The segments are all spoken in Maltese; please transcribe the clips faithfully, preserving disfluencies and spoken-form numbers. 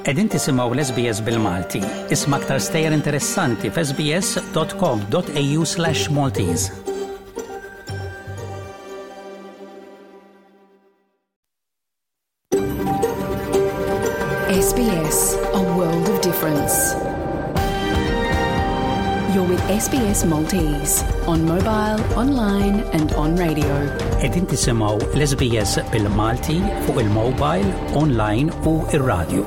Qegħdin tisimgħu l-SBS bil-Malti. Isma' aktar stejjer interessanti f'sbs.com.au slash Maltese. SBS, a world of difference. You're with SBS Maltese on mobile, online and on radio. Qegħdin tisimgħu l-SBS bil-Malti fuq il-mobile, online u ir-radio.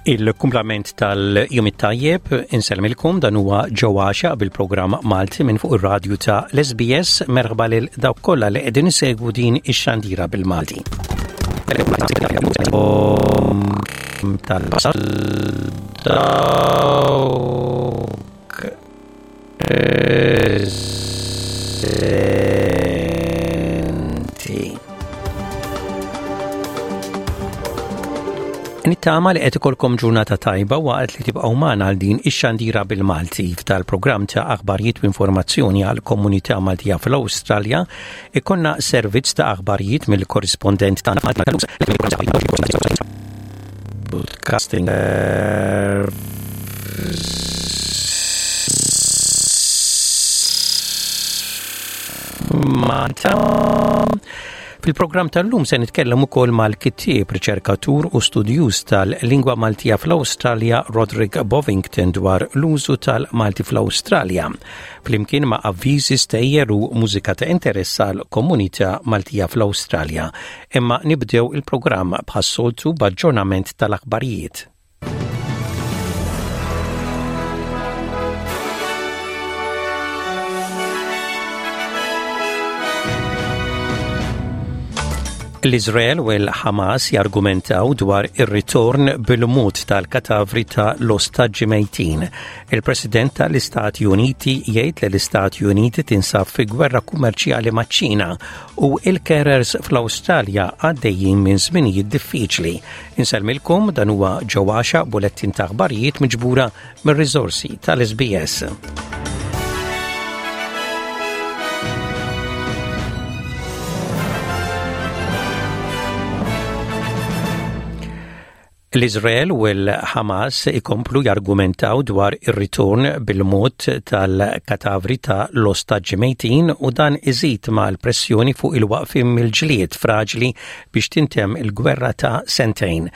Il-kumplament tal-jum it-tajjeb insellmilkom dan huwa ġewwaxa bil-programm Malti minn fuq ir-radju ta' l-SBS merħba lil dawk kollha li qegħdin isegwu din ix-xandira bil-Malti. Tal-basal dawk eżenti. Nittama li qed ikolkom ġurnata tajba waqt li tibqgħu magħna għal din ix-xandira bil-Malti f'dal-programm ta' aħbarijiet u informazzjoni għal komunità Maltija fl-Awstralja ikonna servizz ta' aħbarijiet mill-korrispondent tagħna Broadcasting Malta. Fil-programm tal-lum se nitkellem ukoll mal-kittieb, riċerkatur u studjuż tal-lingwa Maltija fl-Awstralja Roderick Bovington dwar l-użu tal-Malti fl-Awstralja. Flimkien ma' avviżi stejjer u mużika ta' interess għal komunità Maltija fl-Awstralja. Imma nibdew il-programm bħas-soltu b'aġġornament tal-aħbarijiet. L-Izrael u l-Hamas jargumentaw dwar ir-ritorn bil-mod tal-katavri ta' l-ostaġġi mejtin. Il-President tal-Istati Uniti jgħid li l-Istati Uniti tinsab fi gwerra kummerċjali maċ-Ċina u il-carers fl-Awstralja għaddejjin minn żminijiet diffiċli. Insellmilkom dan huwa ġewwaxa bulettin ta' aħbarijiet miġbura mir-riżorsi tal-SBS. L-Izrael u l-Hamas ikomplu jargumentaw dwar ir-ritorn bil-mod tal-katavri ta' l-ostaġġi mejtin u dan iżid ma' l-pressjoni fuq il-waqfim mill-ġlied fraġli biex tintemm il-gwerra ta' sentejn.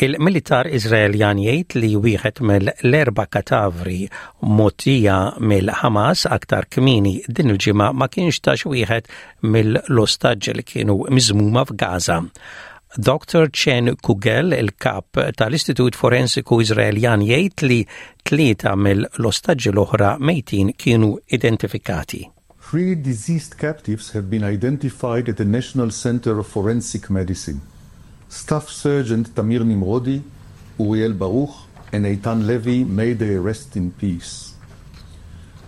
Il-militar Izraeljan jgħid li wieħed mill-erba' katavri mogħtija mill-Hamas aktar kmieni din il-ġimgħa ma kienx ta' xi wieħed mill-ostaġġi li kienu miżmuma f'Gaza. Dr. Chen Kugel, il-kap tal-Istitut Forensiku Izraeljan jgħid li tlieta mill-ostaġġi l-oħra mejtin kienu identifikati. Three deceased captives have been identified at the National Center of Forensic Medicine. Staff Sergeant Tamir Nimrodi, Uriel Baruch, and Eitan Levy may they rest in peace.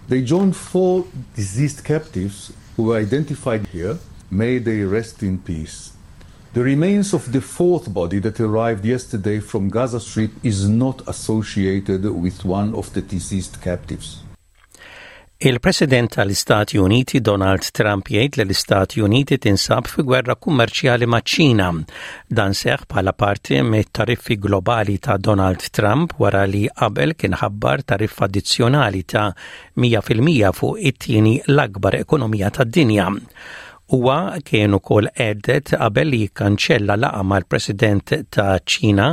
They joined four deceased captives who were identified here. May they rest in peace. The remains of the fourth body that arrived yesterday from Gaza Strip is not associated with one of the deceased captives. Il-President tal-Istati Uniti Donald Trump jgħid li l-Istati Uniti tinsab fi gwerra kummerċjali maċ-Ċina. Dan seħ bħala parti mit-tariffi globali ta' Donald Trump wara li qabel kien ħabbar tariffa addizzjonali ta' mija fil-mija fuq it-tieni l-akbar ekonomija tad-dinja. Huwa kien ukoll għedet qabel li jikkanċella laqgħa mal-President ta' Ċina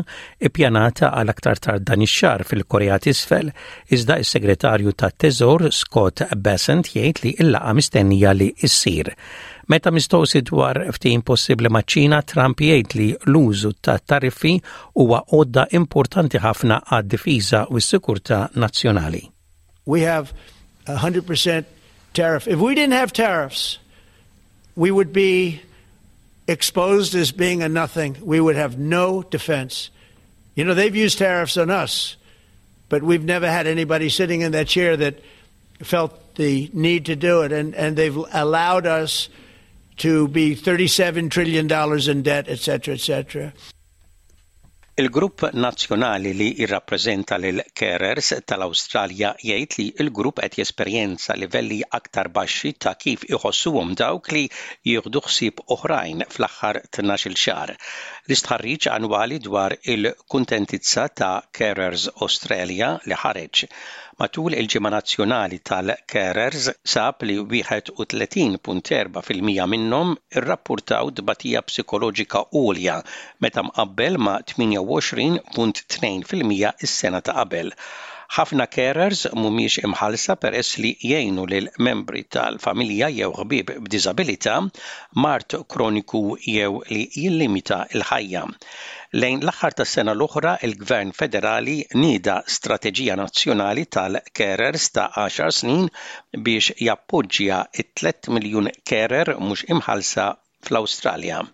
ippjanata għal aktar tard dan ix-xahar fil-Korea t'Isfel, iżda s-Segretarju tat-Teżor Scott Bessent jgħid li l-laqgħa mistennija li ssir. Meta mistoqsi dwar ftehim possibbli maċ-Ċina, Trump jgħid li l-użu ta' tariffi huwa għodda importanti ħafna għad-difiża u s-sikurtà nazzjonali. We have a hundred percent tariff. If we didn't have tariffs, we would be exposed as being a nothing. We would have no defense. You know, they've used tariffs on us, but we've never had anybody sitting in that chair that felt the need to do it. And, and they've allowed us to be thirty-seven trillion dollars in debt, et cetera, et cetera. Il-grupp nazzjonali li jirrappreżenta lil carers tal-Awstralja jgħid li l-grupp qed jesperjenza livelli aktar baxxi ta' kif iħossuhom dawk li jieħdu ħsieb oħrajn fl-aħħar tnax-il xahar. L-istħarriġ annwali dwar il-kuntentizza ta' Carers Australia li ħareġ matul il-Ġimgħa Nazzjonali tal-Carers sab li wieħed u tletin punt erba' fil-mija minnhom irrappurtaw tbatija psikoloġika għolja meta mqabbel ma' tmienja u għoxrin punt tnejn fil-mija s-sena ta' qabel. Ħafna carers mhumiex imħallsa peress li jgħinu lil membri tal-familja jew ħbieb b'diżabilità, mard kroniku jew li jillimita l-ħajja. Lejn l-aħħar tas-sena l-oħra, il-Gvern Federali nieda strateġija nazzjonali tal-carers ta' għaxar snin biex jappoġġja it-tliet miljun carer mhux imħallsa fl-Awstralja.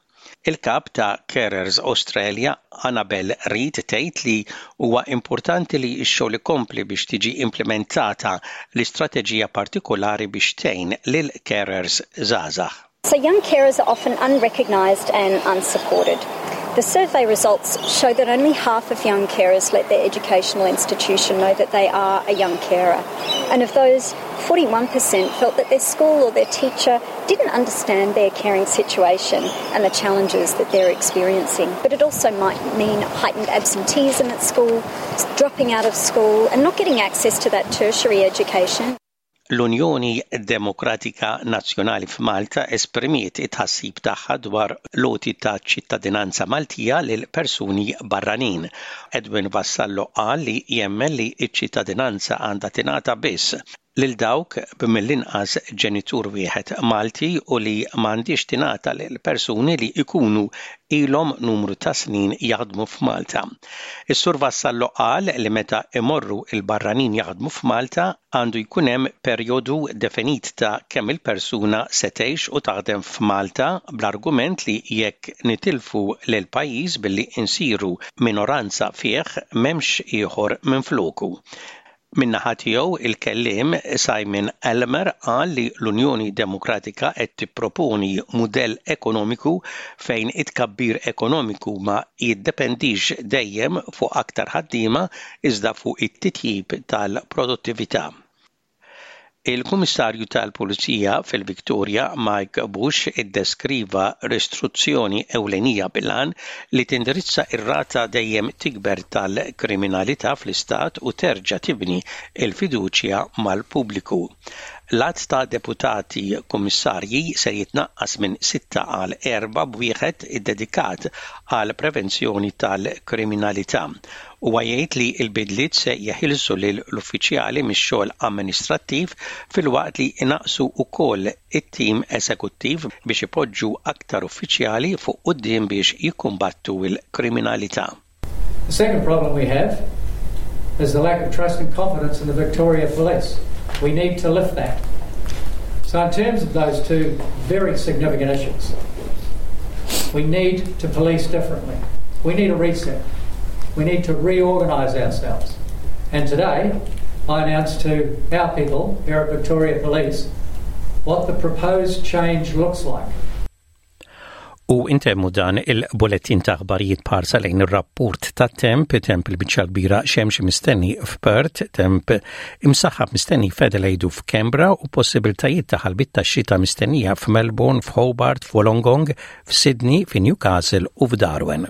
Il-kap ta' Carers Australia, Annabel Reid, tgħid li huwa importanti li x-xogħol ikompli biex tiġi implementata l-istrateġija partikolari biex tgħin lil carers żgħażagħ. So young carers are often unrecognised and unsupported. The survey results show that only half of young carers let their educational institution know that they are a young carer. And of those, forty-one percent felt that their school or their teacher didn't understand their caring situation and the challenges that they're experiencing. But it also might mean heightened absenteeism at school, dropping out of school and not getting access to that tertiary education. L-Unjoni Demokratika Nazzjonali f'Malta esprimiet it-tħassib tagħha dwar l-għoti ta' ċittadinanza Maltija lil persuni barranin. Edwin Vassallo qal li jemmen li ċ-ċittadinanza għandha tingħata biss lil dawk b'mill-inqas ġenitur wieħed Malti u li m'għandhiex tingħata lil persuni li jkunu ilhom numru ta' snin jaħdmu f'Malta. Is-Sur Vassallo qal li meta imorru il-barranin jaħdmu f'Malta għandu jkun hemm perjodu definit ta' kemm il-persuna se tgħix u taħdem f'Malta bl-argument li jekk nitilfu lil pajjiż billi insiru minoranza fih m'hemmx ieħor minfloku. Min-naħa tiegħu il-kelliem Simon Elmer qal li l-Unjoni Demokratika qed tipproponi mudell ekonomiku fejn it-tkabbir ekonomiku ma jiddependix dejjem fuq aktar ħaddiema iżda fuq it-titjib tal-produttività. Il-Kummissarju tal-Pulizija fil-Victoria Mike Bush iddeskriva ristruzzjoni ewlenija bil-għan li tindirizza ir-rata dejjem tikber tal-kriminalità fl-istat u terġa' tibni l-fiduċja mal-pubbliku. L-għadd ta' deputati kummissarji se jitnaqqas minn sitta għal erba' b'wieħed iddedikat għal prevenzjoni tal-kriminalità. Huwa jgħid li l-bidliet se jeħilsu lil l-uffiċjali mix-xogħol amministrattiv filwaqt li inaqqsu wkoll it-tim eżekuttiv biex ipoġġu aktar uffiċjali fuq quddiem biex jikkumbattu l-kriminalità. The second problem we have is the lack of trust and confidence in the Victoria Police. We need to lift that. So in terms of those two very significant issues, we need to police differently. We need a reset. We need to reorganise ourselves. And today, I announced to our people here at Victoria Police what the proposed change looks like. U intemmu dan il-bulletin ta' aħbarijiet parsa lejn ir-rapport ta' temp, temp il-biċċa kbira xemx mistenni f'Perth, temp imsaħħab mistenni f'Adelaide u f'Canberra u possibiltajiet ta' ħalbit ta' xita mistennija f'Melbourne, f'Hobart, f'Wollongong, f'Sydney, f'Newcastle u f'Darwin.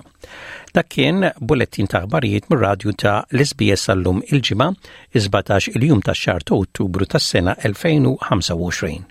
Dak kien bulletin ta' aħbarijiet mir-radju ta' l-S B S għallum il-ġimgħa, is-sbatax il-jum tax-xahar ta' Ottubru tas-sena elfejn u ħamsa u għoxrin.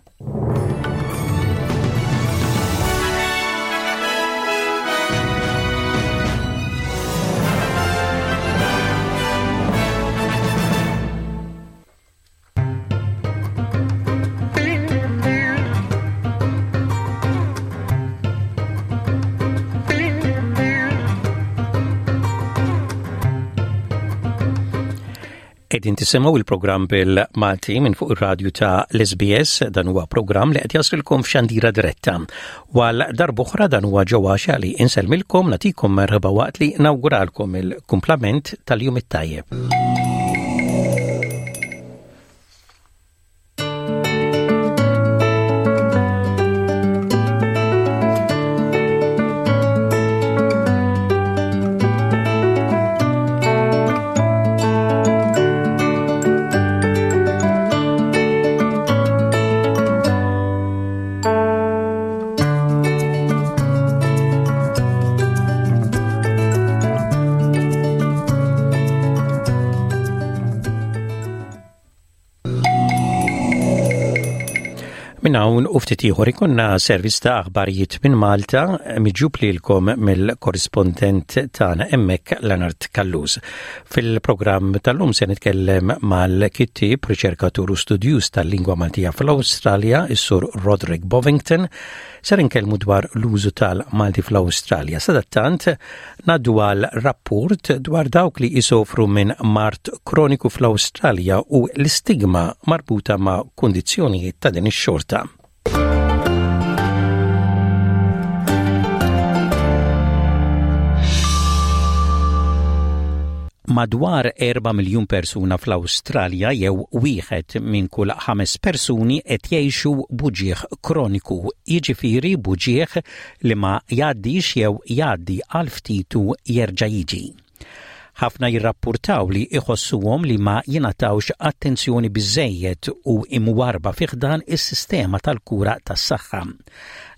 Qegħdin tisimgħu il-programm bil-Malti minn fuq ir-radju ta' l-S B S, dan huwa programm li qed jaslilkom f'xandira diretta. Wal darb'oħra dan huwa ġewwa xali insellmilkom nagħtikom merħba waqt li nawguralkom il-kumplament tal-jum it-tajjeb. Minn hawn u ftit ieħor ikollna servizz ta' aħbarijiet minn Malta miġjub lilkom mill-korrispondent tagħna hemmhekk Leonard Callus. Fil-programm tal-lum se nitkellem mal-kittieb, riċerkatur u studjuż tal-lingwa Maltija fl-Awstralja, is-Sur Roderick Bovington, ser inkellmu dwar l-użu tal-Malti fl-Awstralja. Sadattant ngħaddu għal rapport dwar dawk li jisofru minn mard kroniku fl-Awstralja u l-istigma marbuta ma' kundizzjonijiet ta' din ix-xorta. Madwar erba' miljun persuna fl-Awstralja jew wieħed minn kull ħames persuni qed jgħixu b'uġigħ kroniku, jiġifieri b'uġigħ li ma jgħaddix jew jgħaddi għal ftit u jerġa' jiġi. Ħafna jirrappurtaw li iħossuhom li ma jingħatawx attenzjoni biżejjed u imwarba fi ħdan is-sistema tal-kura tas-saħħa.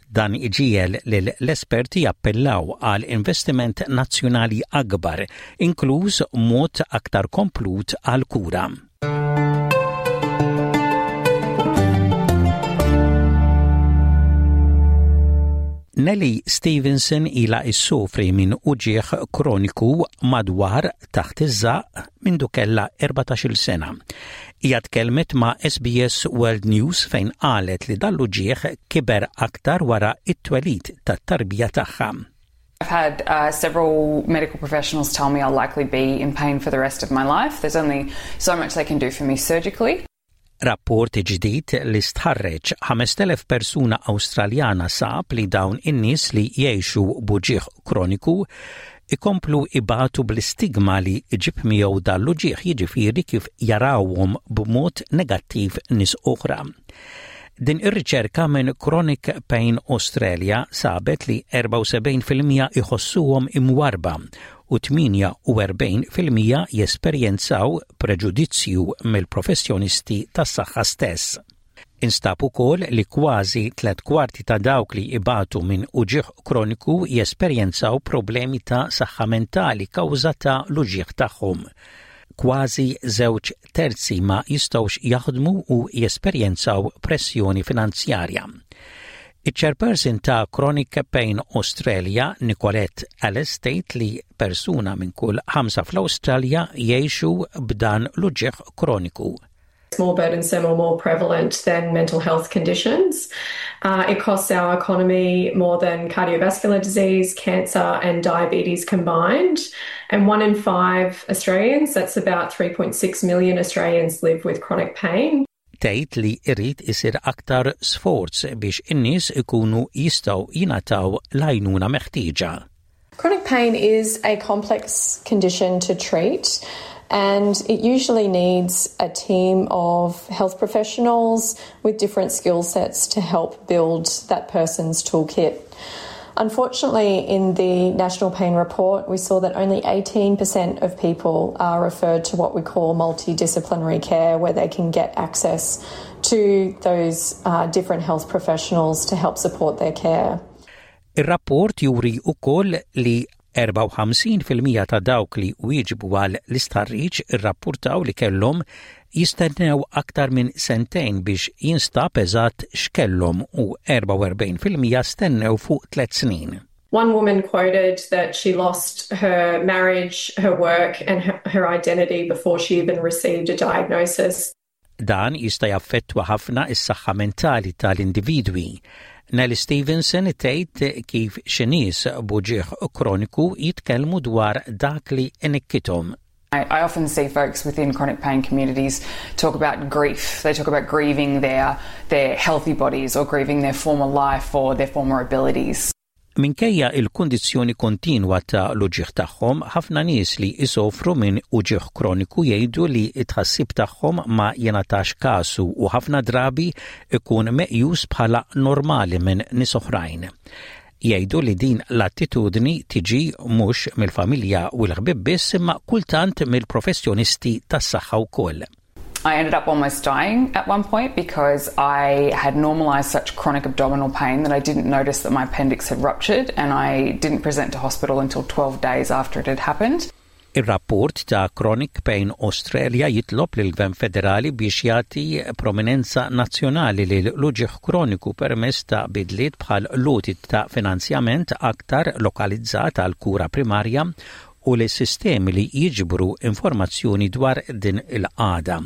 Dan iġiegħel lill-esperti jappellaw għal investiment nazzjonali akbar, inkluż mod aktar komplut għal kura. Nelly Stevenson ila issofri minn uġigħ kroniku madwar taħt iż-żaq mindu kellha erbatax-il sena. Hija tkellmet ma' S B S World News fejn qalet li dan l-uġigħ kiber aktar wara it-twelid tat-tarbija tagħha. I've had uh, several medical professionals tell me I'll likely be in pain for the rest of my life. There's only so much they can do for me surgically. Rapport ġdid li stħarreġ ħamest elef persuna Awstraljana sab li dawn in-nies li jgħixu b'uġigħ kroniku ikomplu ibatu bl-istigma li ġib miegħu dan l-uġigħ, jiġifieri kif jarawhom b'mod negattiv nies oħra. Din ir-riċerka minn Chronic Pain Australia sabet li erbgħa u sebgħin fil-mija iħossuhom imwarba u tmienja u erbgħin fil-mija jesperjenzaw preġudizzju mill-professjonisti tas-saħħa stess. Instab ukoll li kważi tliet kwarti ta' dawk li ibatu minn uġigħ kroniku jesperjenzaw problemi ta' saħħa mentali kawża ta' l-uġigħ tagħhom. Kważi żewġ terzi ma jistgħux jaħdmu u jesperjenzaw pressjoni finanzjarja. Iċ-chairperson ta' Chronic Pain Australia, Nicolette Ellis, tgħid li persuna minn kull ħamsa fl-Awstralja jgħixu b'dan l-uġigħ kroniku. It's more burdensome or more prevalent than mental health conditions. Uh, it costs our economy more than cardiovascular disease, cancer, and diabetes combined. And one in five Australians, that's about three point six million Australians, live with chronic pain. Tgħid li irid isir aktar sforz biex in-nies ikunu jistgħu jingħataw l-għajnuna meħtieġa. Chronic pain is a complex condition to treat, and it usually needs a team of health professionals with different skill sets to help build that person's toolkit. Unfortunately, in the National Pain Report, we saw that only eighteen percent of people are referred to what we call multidisciplinary care, where they can get access to those uh, different health professionals to help support their care. Ir-rapport juri wkoll li erbgħa u ħamsin fil-mija ta' dawk li wieġbu għal l-istħarriġ irrappurtaw li kellhom jistennew aktar minn sentejn biex jinstab eżatt x'kellhom u erbgħa u erbgħin fil-mija stennew fuq tliet snin. One woman quoted that she lost her marriage, her work, and her, her identity before she even received a diagnosis. Dan jista' jaffettwa ħafna is-saħħa mentali tal-individwi. Nelly Stevenson tgħid kif xi nies b'uġigħ kroniku jitkellmu dwar dak li inikkithom. I, I often see folks within chronic pain communities talk about grief. They talk about grieving their, their healthy bodies or grieving their former life or their former abilities. Minkejja il-kundizzjoni kontinwa ta' l-uġigħ tagħhom, ħafna nies li isofru minn uġigħ kroniku jgħidu li t-tħassib tagħhom ma jingħatax kasu u ħafna drabi ikun meqjus bħala normali minn nies oħrajn. Jgħidu li din l-attitudni tiġi mhux mill-familja u l-ħbib biss imma kultant mill-professjonisti tas-saħħa wkoll. I ended up almost dying at one point because I had normalised such chronic abdominal pain that I didn't notice that my appendix had ruptured, and I didn't present to hospital until twelve days after it had happened. Ir-rapport ta' Chronic Pain Australia jitlob lil gvern federali biex jagħti prominenza nazzjonali lil l-uġigħ kroniku permezz ta' bidliet bħal l-għoti ta' finanzjament aktar lokalizzat għal kura primarja u li sistemi li jiġbru informazzjoni dwar din il-qagħda.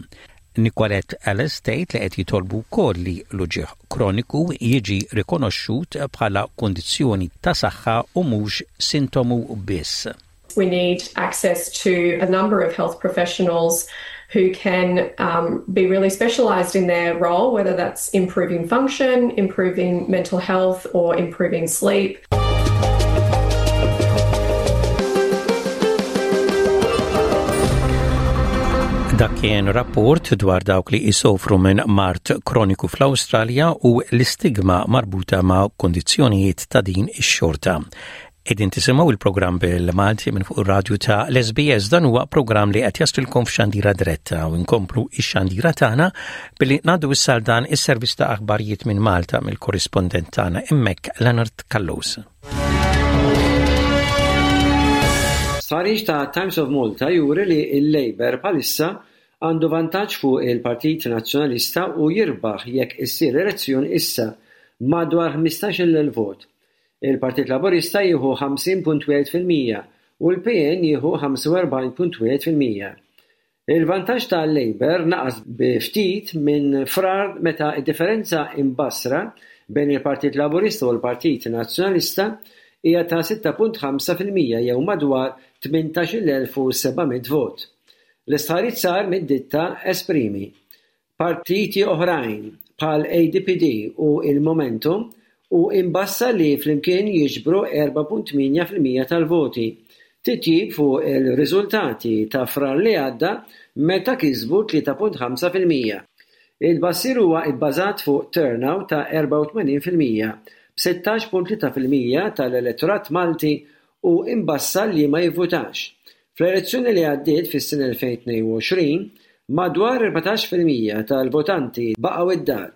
Nicolette Ellis tgħid li qed jitolbu wkoll li l-uġigħ kroniku jiġi rikonoxxut bħala kundizzjoni ta' saħħa u mhux sintomu biss. We need access to a number of health professionals who can um, be really specialised in their role, whether that's improving function, improving mental health, or improving sleep. Dak kien rapport dwar dawk li jisofru minn mard kroniku fl-Awstralja u l-istigma marbuta ma' kondizzjonijiet ta' din ix-xorta. Qegħdin tisimgħu il-programm bil-Malti minn fuq ir-radju ta' l-S B S. Dan huwa programm li qed jaslilkom f'xandira diretta u nkomplu ix-xandira tagħna billi ngħaddu issa dan is-servizz ta' aħbarijiet minn Malta mill-korrispondent tagħna hemmhekk, Leonard Callus. Stħarriġ ta' Times of Malta juri li il-Labour bħalissa għandu vantaġġ fuq il-Partit Nazzjonalista u jirbaħ jekk issir elezzjoni issa madwar ħmistax-il vot. Il-Partit Laburista jieħu ħamsin punt wieħed fil-mija u l-P N jieħu ħamsa u erbgħin punt wieħed fil-mija. Il-vantaġġ tal-Labour naqas bi ftit minn Frar, meta id-differenza imbassra bejn il-Partit Laburista u l-Partit Nazzjonalista hija ta' sitta punt ħamsa fil-mija jew madwar tmintax-il elf u seba' mitt vot. L-istħarriġ sar mid-ditta Esprimi. Partiti oħrajn bħal A D P D u il-Momentum u imbassar li flimkien jiġbru erbgħa punt tmienja fil-mija tal-voti. Titjib fuq il-riżultati ta' Frar li għadda meta kisbu tlieta punt ħamsa fil-mija. Il-tbassir huwa bbażat fuq turnout ta' erbgħa u tmenin fil-mija, b'sittax punt tlieta fil-mija tal-elettorat Malti u imbassar li ma jivvutax. Fl-elezzjoni li għaddiet fis-sena elfejn u tnejn u għoxrin, madwar erbatax fil-mija tal-votanti baqgħu id-dar.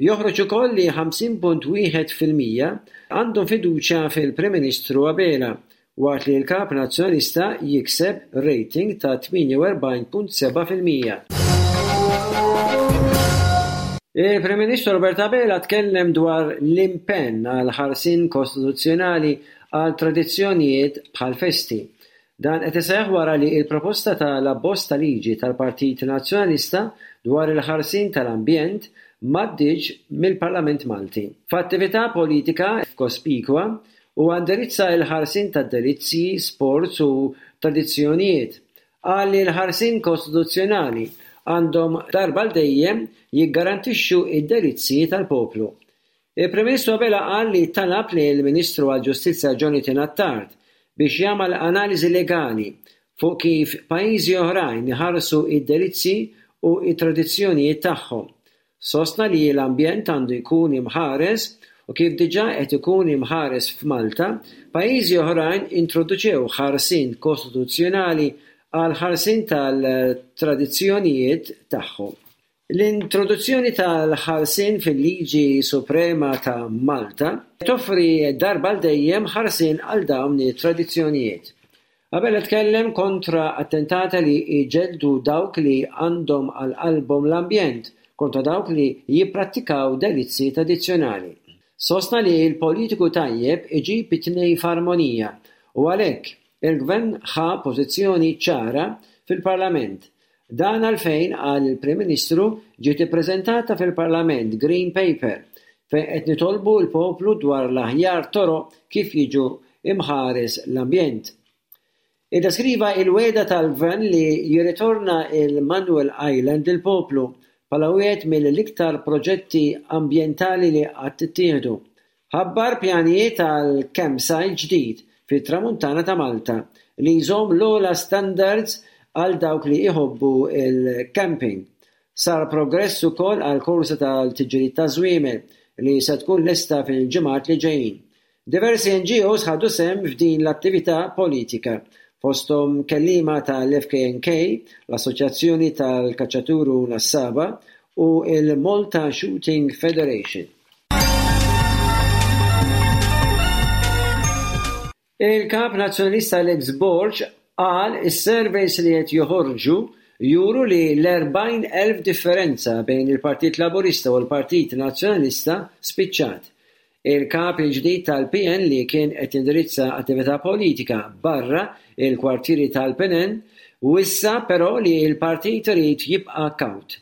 Joħroġ ukoll li ħamsin punt wieħed fil-mija għandhom fiduċja fil-Prim Ministru Abela, waqt li l-Kap Nazzjonalista jikseb rating ta' tmienja u erbgħin punt sebgħa fil-mija. Il-Prim Ministru Robert Abela tkellem dwar l-impenn għal ħarsien kostituzzjonali għal tradizzjonijiet bħal festi. Dan qed iseħħ wara li il-proposta tal-abbozz ta' liġi tal-Partit Nazzjonalista dwar il-ħarsien tal-ambjent m'għaddietx mill-Parlament Malti. F'attività politika f'Cospicua u indirizza il-ħarsien tad-delizzji, sports u tradizzjonijiet. Qal li l-ħarsien kostituzzjonali għandhom darba għal dejjem jiggarantixxu id-delizzji tal-poplu. Il-Prim Ministru Abela qal li talab li l-Ministru għall-Ġustizzja Jonathan Attard biex jagħmel analiżi legali fuq kif pajjiżi oħrajn iħarsu id-delizzji u it-tradizzjonijiet tagħhom. Sostna li l-ambjent għandu jkun imħares u kif diġà qed ikun imħares f'Malta, pajjiżi oħrajn introduċew ħarsien kostituzzjonali għal ħarsien tal-tradizzjonijiet tagħhom. L-introduzzjoni tal-ħarsien fil-Liġi Suprema ta' Malta toffri darba għal dejjem ħarsien għal dawn it-tradizzjonijiet. Abela tkellem kontra attentati li jġeddu dawk li għandhom għal qalbhom l-ambjent kontra dawk li jipprattikaw delizzi tradizzjonali. Sostna li l-politiku tajjeb iġib it-tnejn f'armonija u għalhekk il-gvern ħa pożizzjoni ċara fil-Parlament. Dan għalfejn, qal il-Prim Ministru, ġiet ippreżentata fil-Parlament Green Paper fejn qed nitolbu l-poplu dwar l-aħjar toroq kif jiġu imħares l-ambjent. Iddeskriva il-wegħda tal-gvern li jirritorna il-Manuel Island il-poplu bħala wieħed mill-iktar proġetti ambjentali li qatt ittieħdu. Ħabbar pjanijiet għal campsite ġdid fit-tramuntana ta' Malta li jżomm l-ogħla standards għal dawk li jħobbu il-camping. Sar progress ukoll għal korsa tal-tiġrijiet ta' żwiemel li se tkun lesta fil-ġimgħat li ġejjin. Diversi N G Os ħadu sehem f'din l-attività politika, fosthom kelliema tal-F K N K, l-Assoċjazzjoni tal-Kaċċaturi Nassaba u il-Malta Shooting Federation. Il-kap nazzjonalista Alex Borg Qal is-surveys li qed joħorġu juru li l-erbgħin elf differenza bejn il-Partit Laburista u l-Partit Nazzjonalista spiċċat. Il-kap il-ġdid tal-P N, li kien qed jindirizza attività politika barra il-kwartieri tal-P N, wissa però li l-partit irid jibqa' kawt.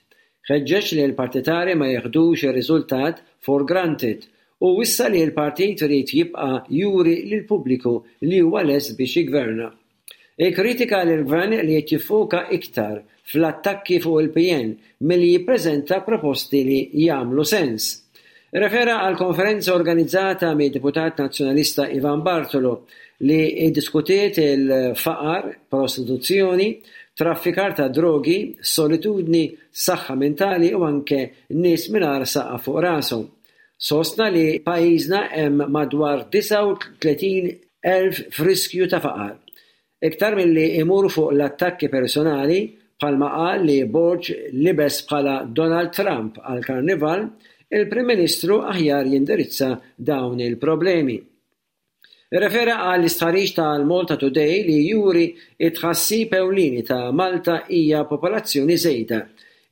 Ħeġġeġ li l-partitari ma jeħdux ir-riżultat for granted u wissa li l-partit irid jibqa' juri lill-pubbliku li huwa lest biex jigverna. Ikkritika lill-gvern li qed jiffoka iktar fl-attakki fuq il-P N milli jippreżenta proposti li jagħmlu sens. Refera għal konferenza organizzata mid-deputat nazzjonalista Ivan Bartolo li iddiskutiet il-faqar, prostituzzjoni, traffikar ta' drogi, solitudni, saħħa mentali u anke nies mingħajr saqaf fuq rashom. Sostna li pajjiżna hemm madwar disgħa u tletin elf f'riskju ta' faqar. Iktar milli imur fuq l-attakki personali, bħalma qal li Borg libes bħala Donald Trump għal karnival, il-Prim Ministru aħjar jindirizza dawn il-problemi. Refera għall istħarriġ tal-Malta Today li juri it-tħassib ewlieni ta' Malta hija popolazzjoni żejda.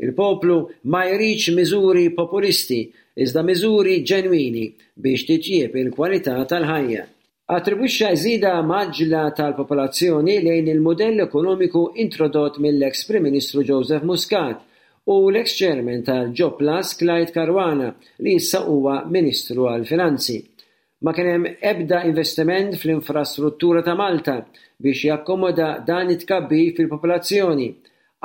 Il-poplu ma jridx miżuri populisti, iżda miżuri ġenwini biex titjieb il-kwalità tal-ħajja. Attribwixxa żieda mgħaġġla tal-popolazzjoni lejn il-modell ekonomiku introdott mill-ex Prim Ministru Joseph Muscat u l-ex chairman tal-Jobsplus Clyde Caruana, li issa huwa Ministru għal-Finanzi. Ma kien hemm ebda investiment fl-infrastruttura ta' Malta biex jakkomoda dan it-tkabbir fil-popolazzjoni.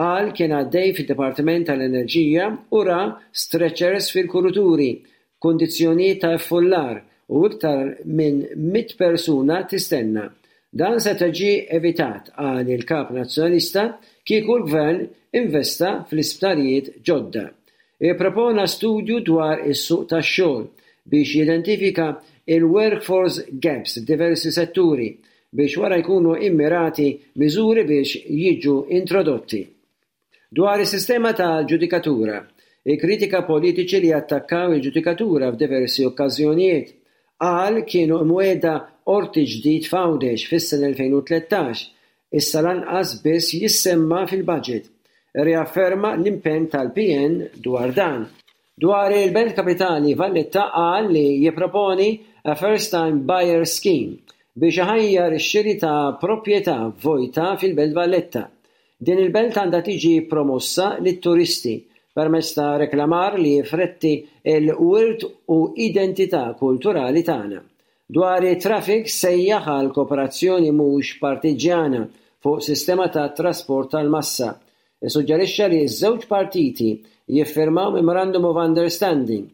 Qal kien għaddej fid-Dipartiment tal-Enerġija u ra stretchers fil-kuruturi, kundizzjonijiet ta' iffullar u iktar minn mit persuna tistenna. Dan se ġie evitat, qal il-kap nazzjonalista, kieku l-gvern investa fl-isptarijiet ġodda. Ippropona studju dwar is-suq tax-xogħol biex jidentifika il-workforce gaps f'diversi setturi biex wara jkunu immirati miżuri biex jiġu introdotti. Dwar is-sistema tal-ġudikatura, ikkritika politiċi li attakkaw il-ġudikatura f'diversi okkażjonijiet. Qal kienu imwiegħda qorti ġdid f'Għawdex fis-sena elfejn u tlettax, issa lanqas biss jissemma fil-budget. Riafferma l-impenn tal-P N dwar dan. Dwar il-Belt Kapitali Valletta, qal li jipproponi a First Time Buyer Scheme biex iħajjar ix-xiri ta' proprjetà vojta fil-Belt Valletta. Din il-belt għandha tiġi promossa lit-turisti permezz ta' reklamar li jirrifletti il-wirt u identità kulturali tagħna. Dwar it-traffic, sejjaħ għal kooperazzjoni mhux partiġjana fuq sistema ta' trasport tal-massa. Issuġġerixxa li ż-żewġ partiti jiffirmaw Memorandum of Understanding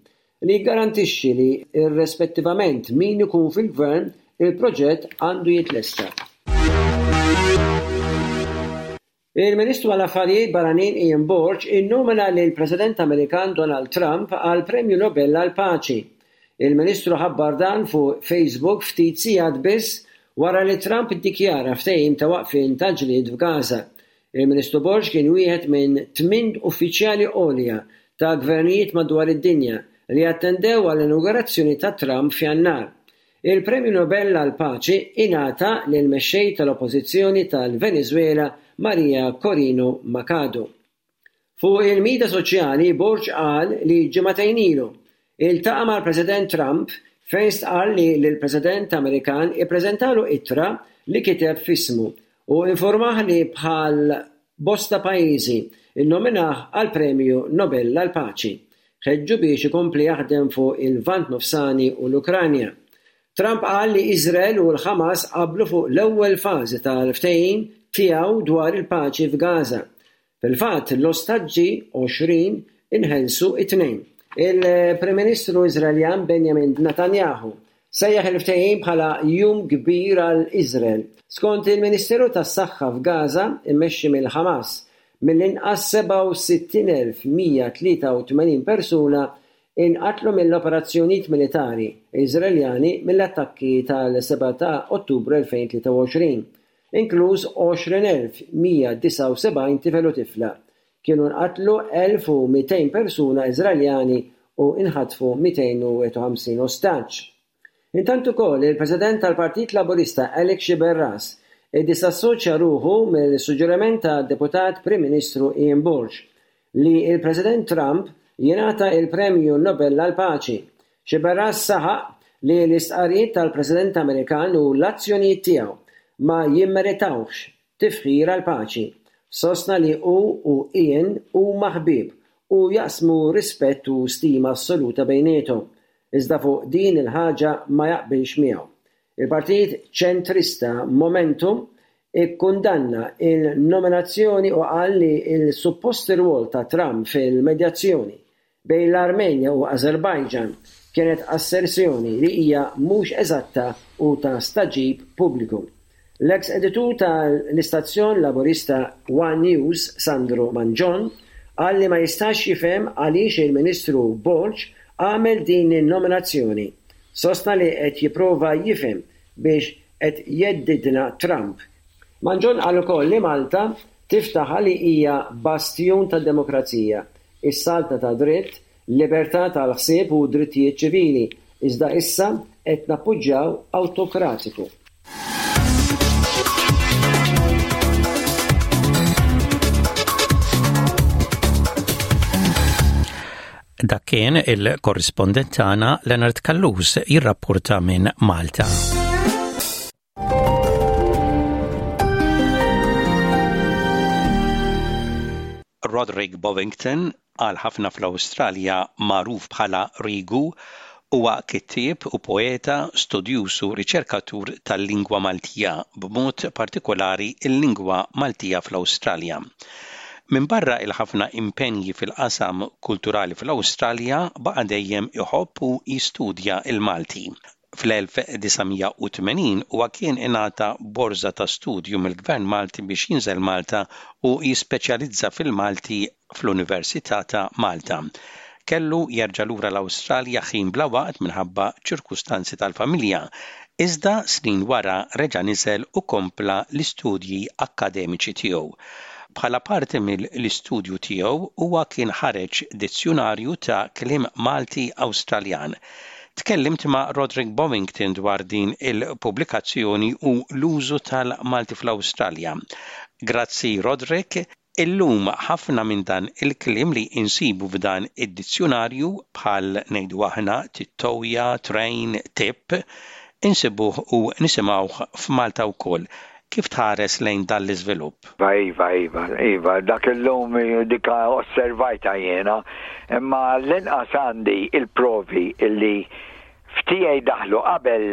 li jgarantixxi li, irrispettivament min ikun fil-gvern, il-proġett għandu jitlesta. Il-Ministru għall-Affarijiet Barranin Ian Borg innomina lil President Amerikan Donald Trump għal Premju Nobel għal Paċi. Il-Ministru ħabbar dan fuq Facebook ftit sigħat biss wara li Trump iddikjara ftehim ta' waqfien ta' ġlied f'Gaza. Il-Ministru Borg kien wieħed minn tmien uffiċjali għolja ta' gvernijiet madwar id-dinja li attendew għall-inaugurazzjoni ta' Trump f'Jannar. Il-Premju Nobel għal Paċi ingħata lil mexxej tal-Oppożizzjoni tal-Venezuela Maria Corina Machado. Fuq il-midja soċjali, Borg qal li ġimagħtejn ilu iltaqa' mal-President Trump, fejn stqarr li l-President Amerikan ippreżentalu ittra li kiteb f'ismu u informah li bħal bosta pajjiżi innominah għal Premju Nobel għal Paċi. Ħeġġu biex ikompli jaħdem fuq il-Lvant Nofsani u l-Ukranja. Trump qal li Izrael u l-Hamas qablu fuq l-ewwel fażi tal-ftehim tiegħu dwar il-paċi f'Gaza. Fil-fatt, l-ostaġġi għoxrin inħelsu it-Tnejn. Il-Prim Ministru Iżraeljan Benjamin Netanyahu sejjaħ il-ftehim bħala jum kbir għal Iżrael. Skont il-Ministeru tas-Saħħa f'Gaza immexxi mill-Hamas, mill-inqas sebgħa u sittin elf u mija tlieta u tmenin persuna inqatlu mill-operazzjonijiet militari Iżraeljani mill-attakki tal-sebgħa ta' Ottubru elfejn u tlieta u għoxrin, inkluż għoxrin elf u mija disgħa u sebgħin tifel u tifla. Kienu nqatlu elf u mitejn persuna Iżraeljani u inħatfu mitejn u wieħed u ħamsin ostaġġ. Intant ukoll, il-President tal-Partit Laburista Alex Sciberras iddisassoċja ruħu mill-suġġeriment tad-Deputat Prim Ministru Ian Borg li l-President Trump jingħata l-Premju Nobel għall-Paċi. Sciberras saħaq li l-istqarrijiet tal-President Amerikan u l-azzjonijiet tiegħu ma jimmeritawx tifħir għall-paċi. Sostna li hu u Ian huma ħbieb u jaqsmu rispett u stima assoluta bejniethom, iżda fuq din il-ħaġa ma jaqbilx miegħu. Il-Partit Ċentrista Momentum ikkundanna il-nominazzjoni u qal li l-suppost rwol ta' Trump fil-medjazzjoni bejn l-Armenja u Azerbajġan kienet asserzjoni li hija mhux eżatta u ta' stagħġib pubbliku. L-eks editur tal-istazzjon Laburista One News, Sandro Mangion, qal li ma jistax jifhem għaliex il-Ministru Borg għamel din in-nominazzjoni. Sostna li qed jipprova jifhem biex qed jheddidna Trump. Mangion qal ukoll li Malta tiftaħar li hija bastjun tad-demokrazija, is-saltna ta' dritt, libertà tal-ħsieb u drittijiet ċivili, iżda issa qed nappoġġjaw awtokratiku. Dak kien il-korrispondent tagħna Leonard Callus jirrapporta minn Malta. Roderick Bovington, għal ħafna fl-Awstralja magħruf bħala Rigu, huwa kittieb u poeta, studjuż u riċerkatur tal-lingwa Maltija, b'mod partikolari l-lingwa Maltija fl-Awstralja. Minbarra il-ħafna impenji fil-qasam kulturali fl-Awstralja, baqa' dejjem iħobb u jistudja il-Malti. Fl-elf disa' mija u tmenin huwa kien ingħata borża ta' studju mill-Gvern Malti biex jinżel Malta u jispeċjalizza fil-Malti fl-Università ta' Malta. Kellu jerġa' lura l-Awstralja ħin bla waqt minħabba ċirkustanzi tal-familja, iżda snin wara reġa' niżel u kompla l-istudji akkademiċi tiegħu. Bħala parti mill-istudju tiegħu huwa kien ħareġ dizzjunarju ta' kliem Malti Awstraljan. Tkellimt ma' Roderick Bovington dwar din il-pubblikazzjoni u l-użu tal-Malti fl-Awstralja. Grazzi Roderick. Illum ħafna minn dan il-kliem li insibu f'dan id-dizzjunarju bħal ngħidu aħna tittoja, train, tip, insibuh u nisimgħuh f'Malta wkoll. Kif tħares lejn dan l-iżvilupp? Iva, iva, iva, iva, dak illum dika osservajta jiena, imma l-inqas għandi il-provi illi f'tiegħi daħlu qabel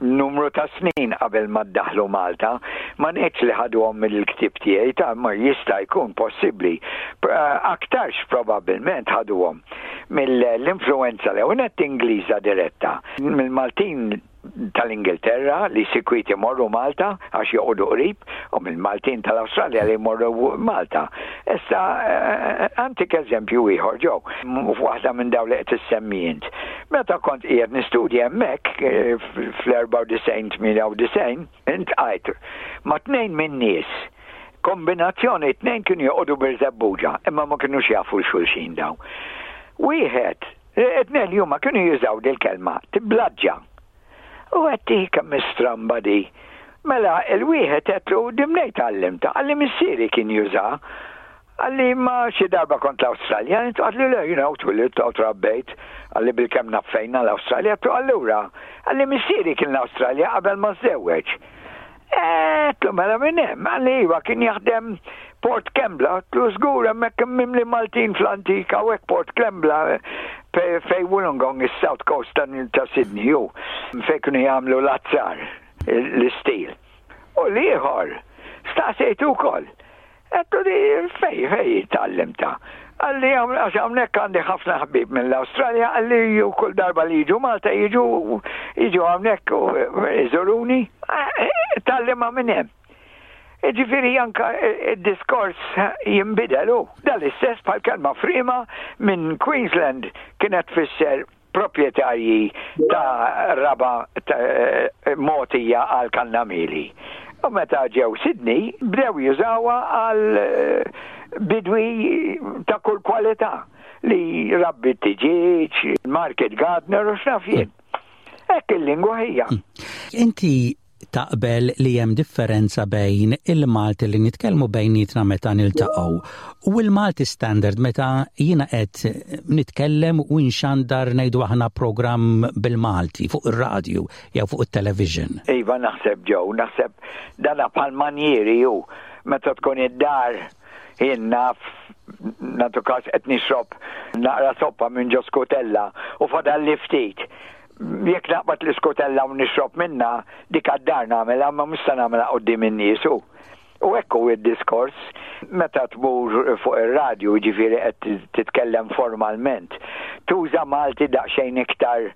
numru ta' snin qabel ma daħlu Malta, ma ngħidx li ħaduhom mill-ktieb tiegħi, ta' ma jista' jkun possibbli. Aktarx probabbilment ħaduhom mill-influenza l-ewwel Ingliża diretta, mill-Maltin tal-Ingilterra li sikwit imorru Malta għax joqogħdu qrib, u mill-Maltin tal-Awstralja li jmorru Malta. Issa antik eżempju ieħor ġew, f'waħda minn dawn li qed issemmi int. Meta kont qiegħed nistudja hemmhekk fl-erbgħa u disgħin tmienja u disgħin, intqajt ma' tnejn min-nies, kombinazzjoni tnejn kienu joqogħdu Birżebbuġa, imma ma kinux jafu l-xulxin dawn. Wieħed, it-tnejn li huma kienu jużaw dil-kelma tiblaġġa. U għetti kemm stramba di. Mela, il-wieħed għedtlu dimnej tgħallimta, qalli missieri kien juża. Qalli ma xi darba kont l-Awstralja, qalli le, you know, twilidt u trabbejt, qalli bilkemm naf fejna l-Awstralja, għedtlu allura, qalli missieri kien l-Awstralja qabel ma żżewweġ. Għedtlu mela minn hemm, qalli iva kien jaħdem Port Kembla, għedtlu żgur hemmhekk mimli Maltin fl-antika u hekk Port Kembla fej Wollongong, is-South Coast ta' Sydney, ju, fej kienu jagħmlu l-azzar, l-istil. U l-ieħor, staqsejtu wkoll. Għedtlu di fej, fej tgħallimta. Qalli għax hawnhekk għandi ħafna ħbieb mill-Awstralja, qalli ju kull darba li jiġu Malta jiġu jiġu hawnhekk u iżuruni, tgħallimha minn hemm. Ġifieri anka id-diskors jinbidel hu. Dan l-istess bħal kelma frima minn Queensland kienet tfisser proprjetarji ta' raba mogħtija għal kannamili. U meta ġew Sydney bdew jużawha għal bidwi ta' kull kwalità li rabbi t-tiġieġ, market gardener u x'naf jien. Hekk il-lingwa hija. Inti Taqbel li hemm differenza bejn il-Malti li nitkellmu bejnietna meta niltaqgħu u l-Malti standard meta jiena qed nitkellem u nxandar, ngħidu aħna, programm bil-Malti fuq ir-radju jew fuq it-television? Iva, naħseb ġew, naħseb dana bħal manjieri ju meta tkun id-dar, jien naf, nagħtu kas qed nixrob naqra soppa minn ġo skutella u fadal ftit. Jekk naqbad l-iskutella u nixrob minna, dik għad-dar nagħmilha, ma mhux se nagħmilha quddiem in-nies. U hekk hu id-diskors meta tmur fuq ir-radju, ġifieri qed titkellem formalment. Tuża Malti daqsxejn iktar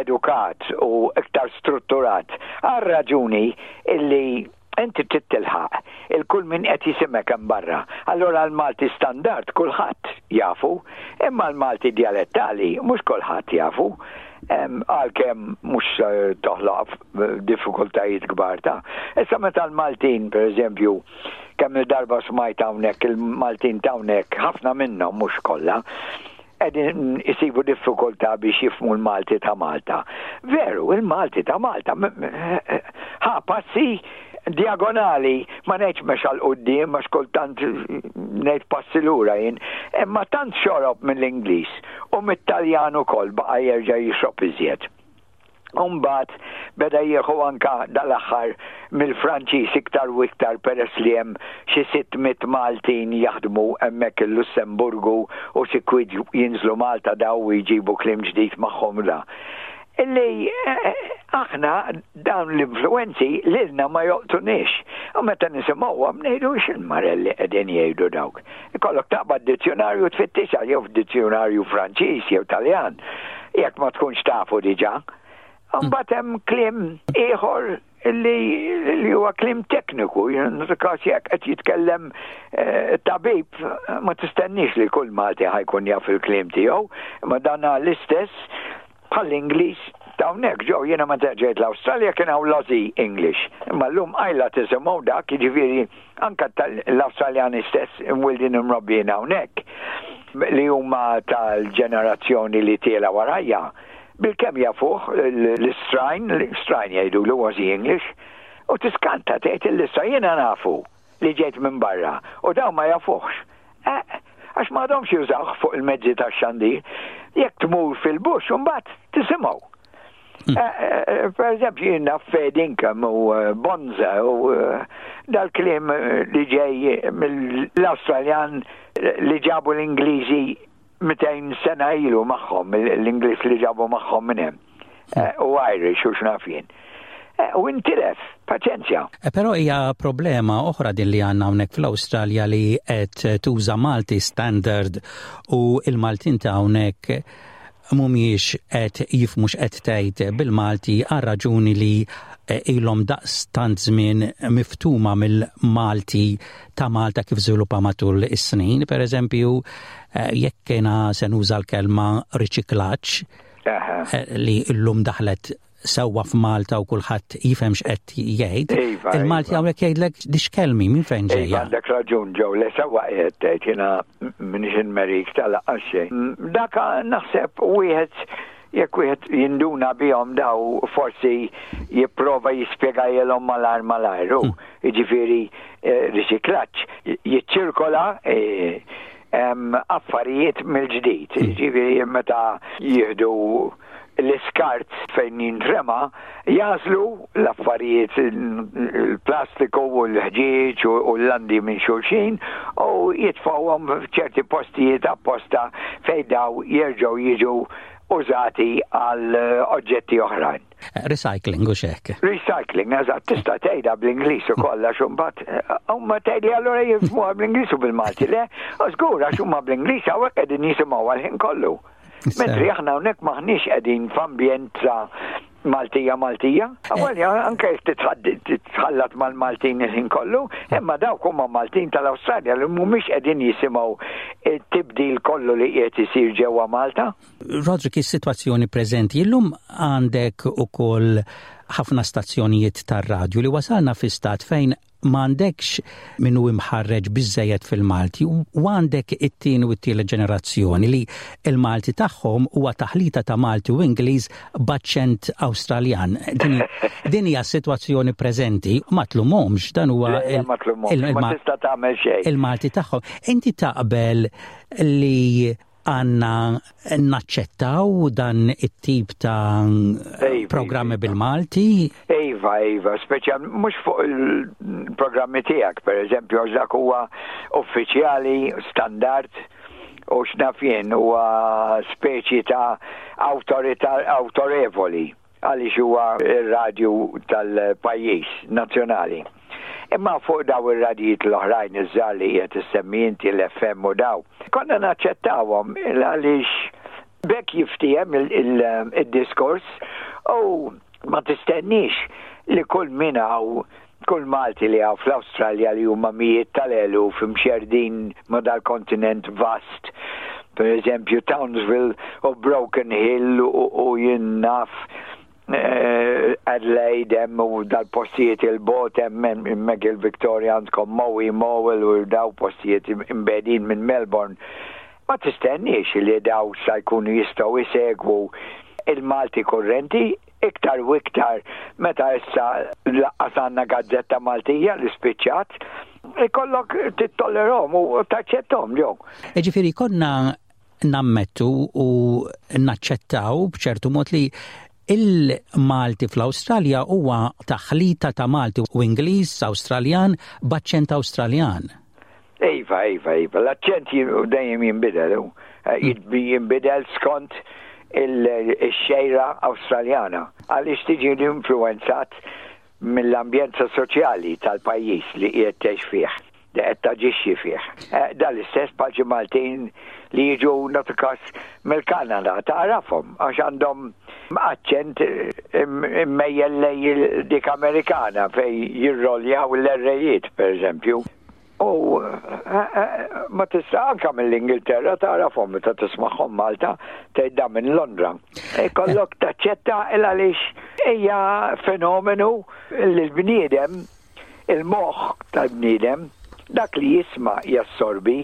edukat u iktar strutturat. Għal raġuni illi inti trid tilħaq il-kull min qed jisimek hemm barra. Allora l-Malti standard kulħadd jafu, imma l-Malti dialettali mhux kulħadd jafu. Għalkemm mhux toħloq diffikultajiet kbar ta'. Issa meta l-Maltin, per eżempju, kemm il-darba smajt hawnhekk il-Maltin hawnhekk, ħafna minnhom, mhux kollha, qegħdin isibu diffikultà biex jifhmu l-Malti ta' Malta. Veru, il-Malti ta' Malta ħa passi diagonali, ma ngħidx mexa 'l quddiem, ma xkultant ngħid passi lura jien, imma tant xorob mill-Ingliż u mit-Taljan ukoll, baqa' jerġa' jixrob iżjed. Umbat beda jieħu anka dal-aħħar mill-Franċiż iktar u iktar, peress li hemm xi sitt mitt Maltin jaħdmu hemmhekk il-Lussemburgu u sikwit jinżlu Malta daw u jġibu kliem ġdid magħhom da. Illi eh, aħna dawn l-influenzi lilna ma joqtunix. U meta nisimgħuhom ngħidu, "X'il-marelli qegħdin jgħidu dawk?" Ikollok taqbad dizzjonarju tfittixha, jew f'dizzjonarju Franċiż jew Taljan, jekk ma tkunx tafu diġà. Mbagħad hemm kliem ieħor li li huwa kliem tekniku, każ jekk qed jitkellem eh, tabib, ma tistennix li kull Malti ħa jkun jaf il-kliem tiegħu, ma dana l-istess bħall-Ingliż hawnhekk ġew. Jiena meta ġejt l-Awstralja kien hawn l-Aussie English. Imma llum qajla tisimgħu dak, jiġifieri anka l-Awstraljani stess imwildin imrobbijin hawnhekk li huma tal-ġenerazzjoni li tiela warajja, bilkemm jafuh l-istrajn, l-istrajn jgħidu l-Aussie English, u tiskanta, tgħid il-lissa jiena nafu li ġejt minn barra u daw ma jafuhx. Eh, għax ma għadhomx jużawh fuq il-mezzi tax-xandir. Jekk tmur fil-bush, mbagħad tisimgħu. Hmm. Eh, eh, per eżempju, jiena fair dinkum u bonza u dal-kliem li ġej mill-Australjan li ġabu l-Ingliżi mitejn sena ilu magħhom, l-Ingliż li ġabu magħhom minn hemm. Eh, u Irish u x'naf jien. Eh, u intilef, paċenzja. Eh, però hija problema oħra din li għandna hawnhekk fl-Awstralja li qed tuża Malti standard u il-Maltin ta' hawnhekk mhumiex qed jifhmu x'qed tgħid bil-Malti għal raġuni li ilhom daqs tant żmien miftuma mill-Malti ta' Malta kif żviluppa matul is-snin. Per eżempju, jekk kiena se nuża l-kelma riċiklaġġ li llum daħlet sewwa f'Malta u kulħadd jifhem x'qed jgħid. Iva, Il-Malti iva. hawnhekk jgħidlek, "Dix-kelma minn fejn Iva, ġejja?" Għandek raġun ġew, le, sewwa qiegħed tgħid, jiena m'iniex inmerik tal-aqqas xejn. Daka naħseb wieħed jekk wieħed jinduna bihom daw forsi jipprova jispjegajilhom malajr malajr. Hmm. Jiġifieri eh, riċiklaġġ jiċċirkola eh, affarijiet mill-ġdid. Hmm. Jiġifieri meta jieħdu l-iskart fejn jintrema, jagħżlu l-affarijiet, il-plastiku u l-ħġieġ u l-landi minn xulxin u jitfawhom f'ċerti postijiet apposta fejn daw jerġgħu jiġu użati għal oġġetti oħrajn. Recycling u xek. Recycling, eżatt, tista' tgħidha bl-Ingliż ukoll, għax imbagħad huma tgħidli allura jifhmuha bl-Ingliż u bil-Malti. Le, żgur, għax huma bl-Ingliż hawnhekk qegħdin jisimgħu għal-ħin kollu. Mentri aħna hawnhekk maħniex qegħdin f'ambjent ta' Maltija Maltija. Għalja, anke jekk titħallat mal-Maltin il-ħin kollu, imma dawk huma Maltin tal-Awstralja li mhumiex qegħdin jisimgħu it-tibdil kollu li qiegħed isir ġewwa Malta. Roderick, is-sitwazzjoni preżenti illum, għandek ukoll ħafna stazzjonijiet tar-radju li wasalna fi stat fejn M'għandekx min hu imħarreġ biżejjed fil-Malti u għandek it-tieni u t-tielet ġenerazzjoni li il-Malti tagħhom huwa taħlita ta' Malti u Ingliż b'aċċent Awstraljan. Din hija s-sitwazzjoni preżenti, ma tlumhomx, dan huwa il-Malti tagħhom. Inti taqbel li għandna naċċettaw dan it-tip ta' programmi bil-Malti? Iva, iva, speċjal mhux fuq il-programmi tiegħek, per eżempju, għax dak huwa uffiċjali, standard, u x'naf jien, huwa speċi ta' awtorità awtorevoli għaliex huwa ir-radju tal-pajjiż nazzjonali. Imma fuq daw ir-radijiet l-oħrajn iż-żgħar li qed issemmi inti, l-F M u daw, konna naċċettawhom għaliex bekk jiftiehem il-diskors u ma tistenniex li kull min hawn, kull Malti li hawn fl-Awstralja, li huma mijiet tal-eluf imxerdin ma dal-kontinent vast. Per eżempju, Townsville u Broken Hill u jien naf eh, Adelaide hemm u dal-postijiet il-bogħod hemm, hemmhekk il-Victoria għandkom Moe Mowel u daw postijiet imbegħdin minn Melbourne. Ma tistenniex li daw sa jkunu jistgħu jsegwu il-Malti kurrenti, iktar u iktar meta issa lanqas għandna gazzetta Maltija li spiċċat, ikollok tittollerahom u taċċettahom ġew. Ġifieri konna nammettu u naċċettaw b'ċertu mod li il-Malti fl-Awstralja huwa taħlita ta' Malti u Ingliż Awstraljan b'aċċent Awstraljan. Iva, iva, iva, l-aċċent dejjem jinbidel, eh, jinbidel skont il-xejra Awstraljana għaliex tiġi influenzat mill-ambjenza soċjali tal-pajjiż li qiegħed tgħix fih, li qed taġixxi fih. Eh, dal-istess bħal Maltin li jiġu nagħtu mill-Kanada, tagħrafhom għax għandhom aċċent immejjel lej dik Amerikana fej jirroljaw l-errejiet, per eżempju. U eh, eh, ma tista' anka mill-Ingilterra tagħrafhom meta tismagħhom Malta, tgħid minn Londra. Ikollok taċċetta il għaliex hija fenomenu li l-bniedem, il-moħħ tal-bniedem, dak li jisma' jassorbi,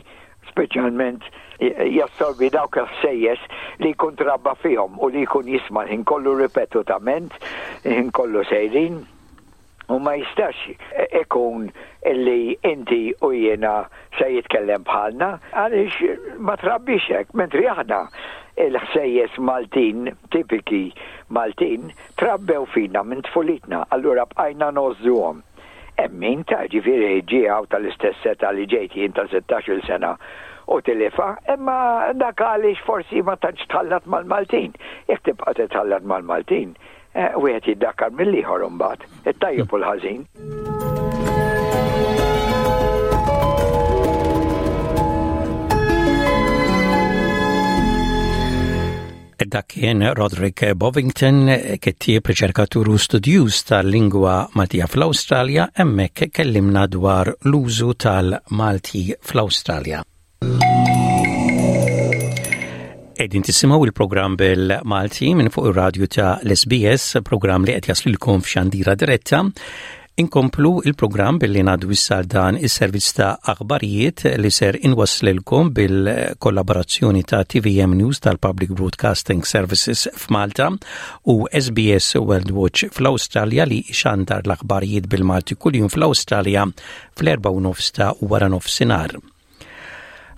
speċjalment jassorbi dawk il-ħsejjes li jkun trabba fihom u li jkun jisma' ħin kollu ripetutament, ħin kollu sejrin, u ma jistax ikun illi inti u jiena se jitkellem bħalna għaliex ma trabbix hekk, mentri aħna il-ħsejjes Maltin, tipiki Maltin, trabbew fina minn tfulitna, allura bqajna ngħożżuhom. Hemm min ta' ġifieri ġie tal-istess età li ġejt jien ta' sittax-il sena u tilifha, imma dak għaliex forsi ma tantx tħallat mal-Maltin. Jekk tibqa' titħallat mal-Maltin, eh, wieħed jiddakkar mill-ieħor imbagħad, it-tajjeb u l-ħażin. Dak kien Roderick Bovington, kittieb, riċerkatur u studjuż tal-lingwa Maltija fl-Awstralja, hemmhekk kellimna dwar l-użu tal-Malti fl-Awstralja. Qegħdin tisimgħu il-programm bil-Malti minn fuq ir-radju ta' l-S B S, programm li qed jaslilkom f'xandira diretta. Inkomplu il-programm billi ngħaddu issa dan is-servizz ta' aħbarijiet li ser inwaslilkom bil-kollaborazzjoni ta' T V M News tal-Public Broadcasting Services f'Malta u S B S World Watch fl-Awstralja, li xandar l-aħbarijiet bil-Malti kuljum fl-Awstralja fl-erba' u nofs ta' wara nofsinhar.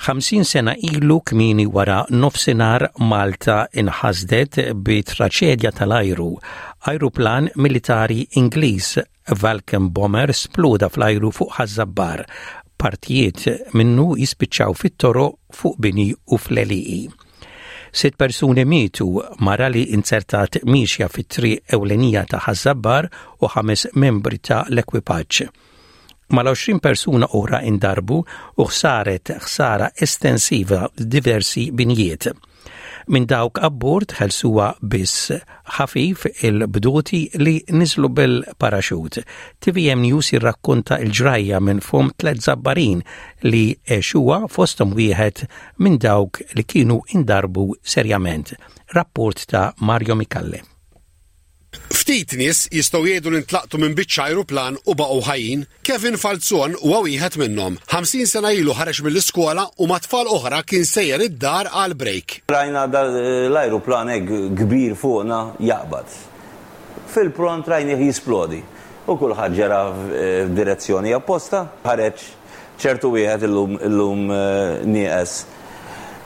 ħamsin sena ilu kmieni wara nofsinhar Malta inħasdet bi traċedja tal-ajru. Ajruplan militari Ingliż Vulcan Bomber sploda fl-ajru fuq Ħaż-Żabbar. Partijiet minnu jispiċċaw fit-toroq, fuq bini u fl-għelieqi. Sitt persuni mietu, mara li inzertat miexja fit-triq ewlenija ta' Ħaż-Żabbar u ħames membri ta' l-ekwipaġġ. Mal-għoxrin persuna oħra indarbu u saret ħsara estensiva diversi binjiet. Minn dawk abbord ħelsuha biss ħafif il-bdoti li niżlu bil-paraxut. T V M News jirrakkonta il-ġrajja minn fom tlet Żabbarin li għexuha, fostom wieħed minn dawk li kienu indarbu serjament. Rapport ta' Mario Micallef. Ftit nies jistgħu jgħidu li ntlaqtu minn biċċa ajruplan u baqgħu ħajjin. Kevin Falzon huwa wieħed minnhom. ħamsin sena ilu ħareġ mill-iskola u ma' tfal oħra kien sejjer id-dar għal break. Rajna l-ajruplan hekk kbir fuqna jaqbad. Fil-pront rajnih jisplodi. U kulħadd ġera f'direzzjoni opposta. Ħareġ ċertu wieħed illum illum eh, nieqes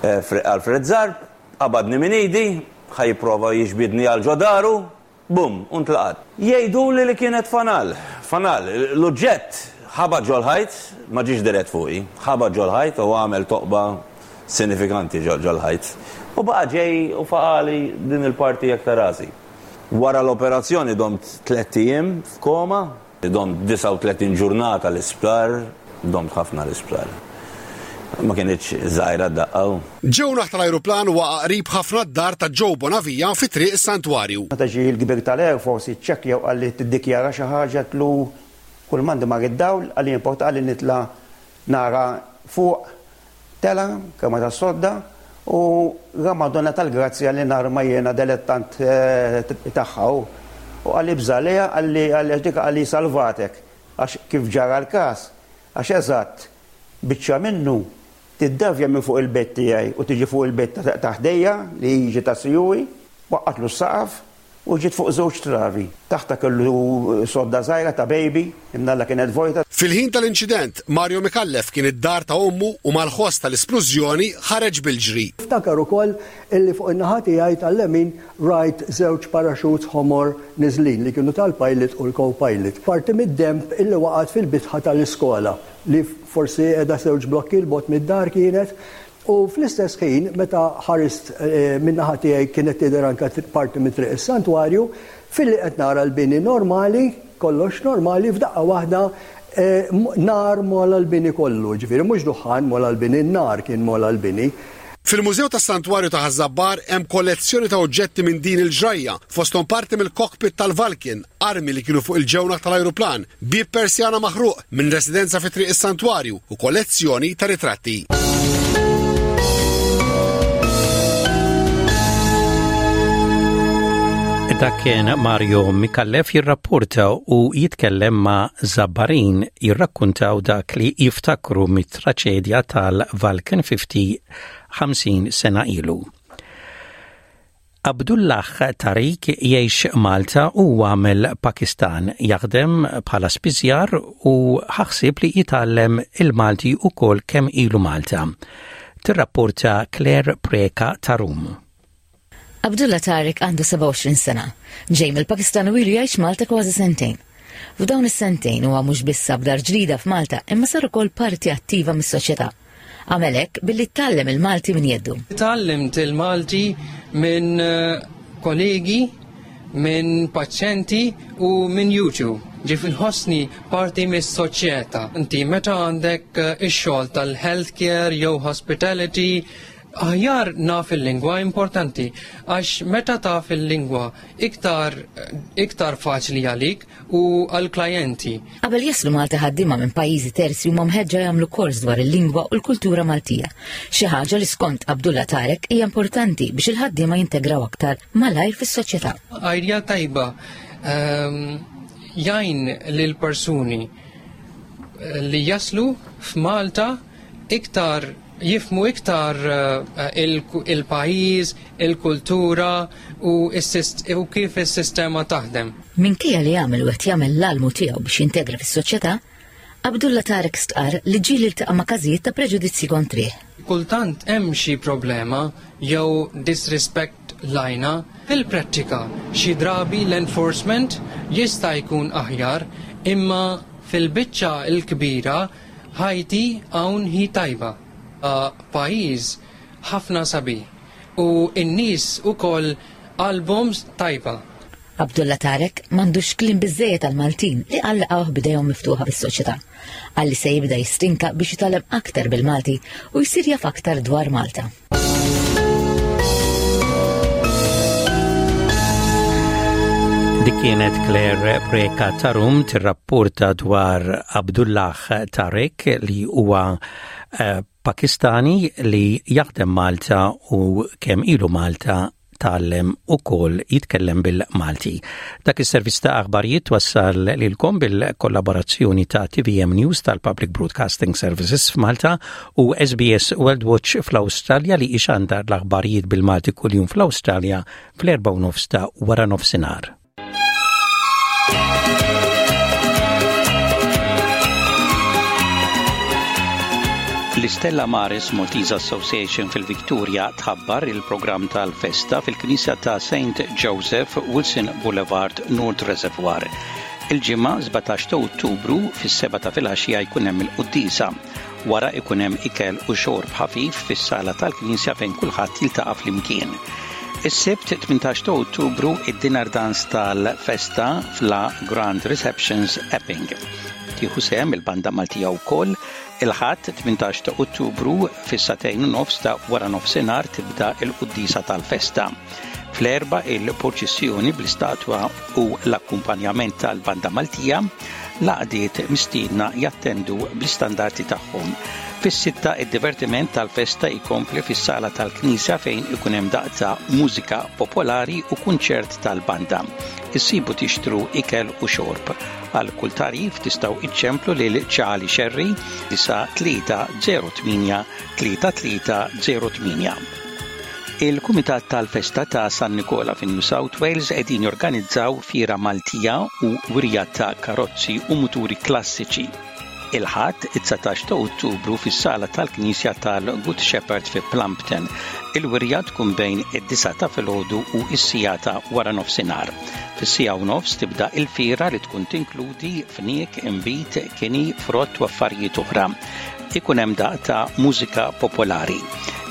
eh, Alfred Zarb, qabadni minn idi, ħa jipprova jiġbidni għal ġo daru, bum, u ntlaqat. Jgħidu li li kienet fanal, fanal, l-oġġett ħabat ġol-ħajt, ma ġiex dirett fuqi, ħabat ġol-ħajt u għamel toqba sinifikanti ġol-ħajt. U baqa ġej u faqagħli din il-parti hekk ta' rasi. Wara l-operazzjoni domt tlett ijiem f'koma, domt disgħa u tletin ġurnata l-isptar, domt ħafna l-isptar. Ma kinitx żgħira d-daqqa. Ġewnaħ tal-ajruplan waqa' qrib ħafna d-dar ta' Joe Bonavia fi triq is-Santwarju. Meta ġie l-kbir tal-Air Force iċċekkja u qalli tiddikjara xi ħaġa, għedtlu kull m'għandi mar id-dawl, qalli importa, qalli nitla' nara fuq. Tela' kamra tas-sodda u ra Madonna tal-Grazzja li narma jiena delettant eh, tagħha u qalli ibża' għaliha, qalli għalli dik, qalli salvatek, għax kif ġara l-każ, għax eżatt biċċa minnu tiddavja minn fuq il-bed tiegħi u tiġi fuq il-bed ta' ħdejja li jiġi ta' sijuwi, waqqatlu s-saqaf u ġiet fuq żewġ travi. Taħta kellu sodda żgħira ta' baby, imnalla kienet vojta. Fil-ħin tal-inċident, Mario Mikallef kien id-dar ta' ommu u mal-ħoss tal-isplużjoni ħareġ bil-ġri. Ftakar ukoll illi fuq in-naħa tiegħi tal-lemin rajt żewġ parachutes ħomor niżlin li kienu tal-pilot u l-co-pilot. Parti mid-demb illi waqgħet fil-bitħa tal-iskola li forsi qiegħda żewġ blokki 'l bogħod mid-dar kienet. U fl-istess ħin, meta ħarist eh, min-naħa tiegħi kienet tidher anke parti mit triq is-santwarju, filli qed nara l-bini normali, kollox normali, f'daqqa waħda eh, nar mola l-bini kollu, ġifieri mhux duħan mola l-bini, nar kien mola l-bini. Fil-Mużew tas-Santwarju ta' Ħaż-Żabbar hemm kollezzjoni ta' oġġetti minn din il-ġrajja, fosthom parti mill-cockpit tal-Vulcan, armi li kienu fuq il-ġewnaħ tal-ajruplan, bib persjana maħruq minn residenza fi triq is-Santwarju u kollezzjoni ta' ritratti. Dak kien Mario Mikallef jirrapporta u jitkellem ma' Zabbarin jirrakkuntaw dak li jiftakru mit-traċedja tal-Vulcan fifty ħamsin sena ilu. Abdullah Tariq jgħix Malta u għamel Pakistan, jaħdem bħala spiżjar u ħa ħsieb li jitgħallem il-Malti ukoll kemm ilu Malta. Tirrapporta Claire Preka ta' Rum. Abdullah Tariq għandu sebgħa u għoxrin sena. Ġej mill-Pakistan u ilu jgħix Malta kważi sentejn. F'dawn is-sentejn huwa mhux biss sab dar ġdida f'Malta, imma sar ukoll parti attiva mis-soċjetà. Għamel hekk billi tgħallem il-Malti minn jeddu. Tgħallimt il-Malti minn eh, kollegi, minn paċjenti u minn YouTube. Ġifieri nħossni parti mis-soċjetà. Inti meta għandek eh, ix-xogħol tal-healthcare jew hospitality, aħjar naf il-lingwa, importanti, għax meta taf il-lingwa iktar, iktar faċli għalik u għal-klijenti. Qabel jaslu Malta ħaddiema minn pajjiżi terzi, huma mħeġġa jagħmlu kors dwar il-lingwa u l-kultura Maltija. Xi ħaġa li skont Abdullah Tarek hija importanti biex il-ħaddiema jintegraw aktar malajr fis-soċjetà. Idea tajba um, jgħin lil persuni li jaslu f'Malta iktar jifhmu iktar eh, il-pajjiż, il-kultura u, u kif is-sistema taħdem. Minkejja li għamel u qed jagħmel l-almu tiegħu biex jintegra fis-soċjetà, Abdullah Tarek stqar li ġieli ltaqa' ma' każijiet ta' preġudizzji kontrih. Kultant hemm xi problema jew disrespect lejna. Fil-prattika xi drabi l-enforcement jista' jkun aħjar, imma fil-biċċa l-kbira ħajti hawn hi tajba. Pajjiż ħafna sabiħ u n-nies ukoll qalbhom tajba. Abdullah Tarek m'għandux kliem biżejjed għal-Maltin li laqgħuh b'idejhom miftuħa fis-soċjetà. Qal li se jibda jistinka biex jitgħallem aktar bil-Malti u jsir jaf aktar dwar Malta. Dik kienet Claire Preka ta' Rum tirrapporta dwar Abdullah Tarek li huwa eh, Pakistani li jaħdem Malta u kemm ilu Malta tgħallem ukoll jitkellem bil-Malti. Dak is-servizz ta' aħbarijiet wassal lilkom bil-kollaborazzjoni ta' T V M News tal-Public Broadcasting Services f'Malta u S B S World Watch fl-Awstralja, li ixandar l-aħbarijiet bil-Malti kuljum fl-Awstralja fl-erba' nofs ta' wara nofsinhar. L-Istella Maris Maltese Association fil-Victoria tħabbar il-programm tal-festa fil-Knisja ta' Saint Joseph, Wilson Boulevard, North Reservoir. Il-Ġimgħa sbatax ta' Ottubru fis-seba ta' filgħaxija jkun hemm il-quddiesa. Wara ikun hemm ikel u xorb ħafif fis-sala tal-Knisja fejn kulħadd jiltaqa' flimkien. Is-Sibt tmintax ta' Ottubru, id-dinner dance tal-festa fla Grand Receptions, Epping. Tieħu sehem il-banda Maltija wkoll. Il-Ħadd tmintax ta' Ottubru fis-sagħtejn u nofs ta' wara nofsinhar tibda il-quddiesa tal-festa. Fl-erba il-purċissjoni bl-istatwa u l-akkumpanjament tal-banda Maltija, l-għaqdiet mistiedna jattendu bl-istandarti tagħhom. Fis-sitta id-divertiment tal-festa jkompli fis-sala tal-Knisja fejn ikun hemm daqq ta' mużika popolari u kunċert tal-banda. Issibu tixtru ikel u xorb. Għal kull tagħrif tistgħu iċċemplu lil Charlie Sherry disa tlieta zero tmienja tlieta tlieta zero tmienja. Il-Kumitat tal-Festa ta' San Nikola fi New South Wales qegħdin jorganizzaw fiera Maltija u wirja ta' karozzi u muturi klassiċi il-Ħadd it-dsatax ta' Ottubru fis-sala tal-Knisja tal-Good Shepherd fi Plumpton. Il-wirja tkun bejn id-disgħa ta' filgħodu u s-siegħa ta' wara nofsinhar. Fis-siegħa u nofs tibda il-fiera li tkun tinkludi fniek, inbid, kini, frott u affarijiet oħra. Ikun hemm daqq ta' mużika popolari.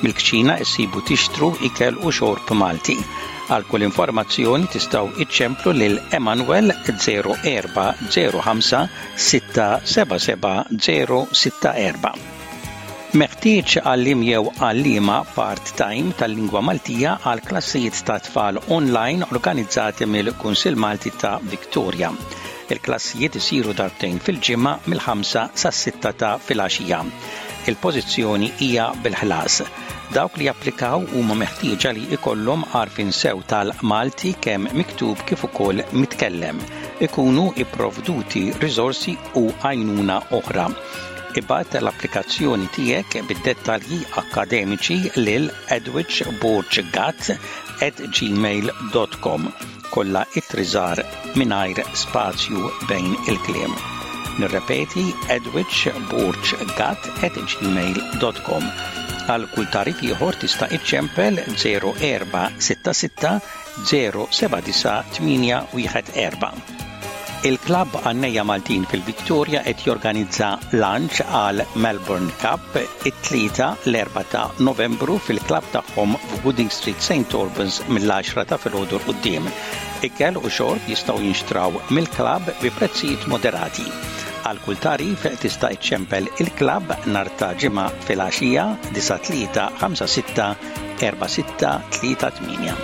Mill-kċina issibu tixtru ikel u xorb Malti. Għal kull informazzjoni tistgħu iċċemplu lil Emanuel zero erba' zero ħamsa sitta seba' seba' zero sitta erba'. Meħtieġ għalliem jew għallima part-time tal-lingwa Maltija għal klassijiet ta' tfal online organizzati mill-Kunsill Malti ta' Victoria. Il-klassijiet isiru darbtejn fil-ġimgħa mill-ħamsa sas-sitta ta' filgħaxija. Il-pożizzjoni hija bil-ħlas. Dawk li japplikaw huma meħtieġa li ikollhom għarfien sew tal-Malti, kemm miktub kif ukoll mitkellem. Ikunu ipprovduti riżorsi u għajnuna oħra. Ibgħat l-applikazzjoni tiegħek bid-dettalji akademiċi lil edwichborggat at gmail dot com, kollha ittri żgħar mingħajr spazju bejn il-kliem. Nirrepeti, edwichborggat at gmail dot com. Għal kull tagħrif ieħor tista' iċċempel zero erba' sitta sitta zero seba' disa' tmienja wieħed erba'. Il-Klabb Għannejja Maltin fil-Victoria qed jorganizza lunch għal Melbourne Cup it-Tlieta l-erbgħa ta' Novembru fil-klabb tagħhom f'Gooding Street, Saint Albans, mill-għaxra ta' filgħodu 'l quddiem. Ikel u xorb jistgħu jinxtraw mill-klabb bi prezzijiet moderati. Għal kull tagħrif tista' iċċempel il-klabb nhar ta' Ġimgħa filgħaxija disa' tlieta ħamsa sitta erba' sitta tlieta tmienja.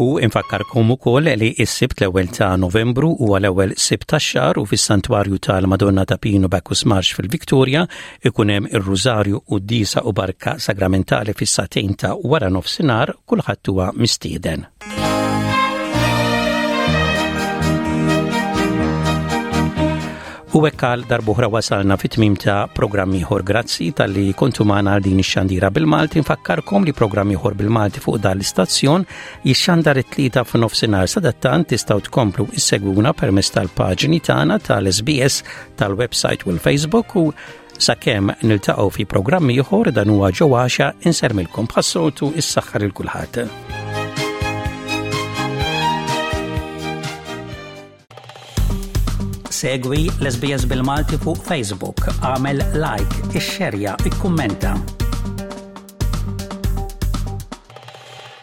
U infakkarkom ukoll li s-Sibt l-ewwel ta' Novembru huwa l-ewwel Sibt tax-xahar u fis-Santwarju tal-Madonna ta' Pinu, Bacchus Marsh fil-Victoria ikun hemm ir-Rużarju, quddiesa u barka sagramentali fis-sagħtejn ta' wara nofsinhar. Kulħadd huwa mistieden. U hekk għal darb'oħra wasalna fit-tmim ta' programm ieħor. Grazzi talli kontu magħna għal din ix-xandira bil-Malti. Nfakkarkom li programm ieħor bil-Malti fuq dan l-istazzjon jixxandar it-Tlieta f'nofsinhar. Sadattant tistgħu tkomplu issegwuna permezz tal-paġni tagħna tal-S B S, tal-website u l-Facebook, u sakemm niltaqgħu fi programm ieħor, dan huwa ġewwaxa insellmilkom bħas-soltu, is-saħħa lil kulħadd. Segwi l-S B S bil-Malti fuq Facebook, għamel like, ixxerja, ikkummenta.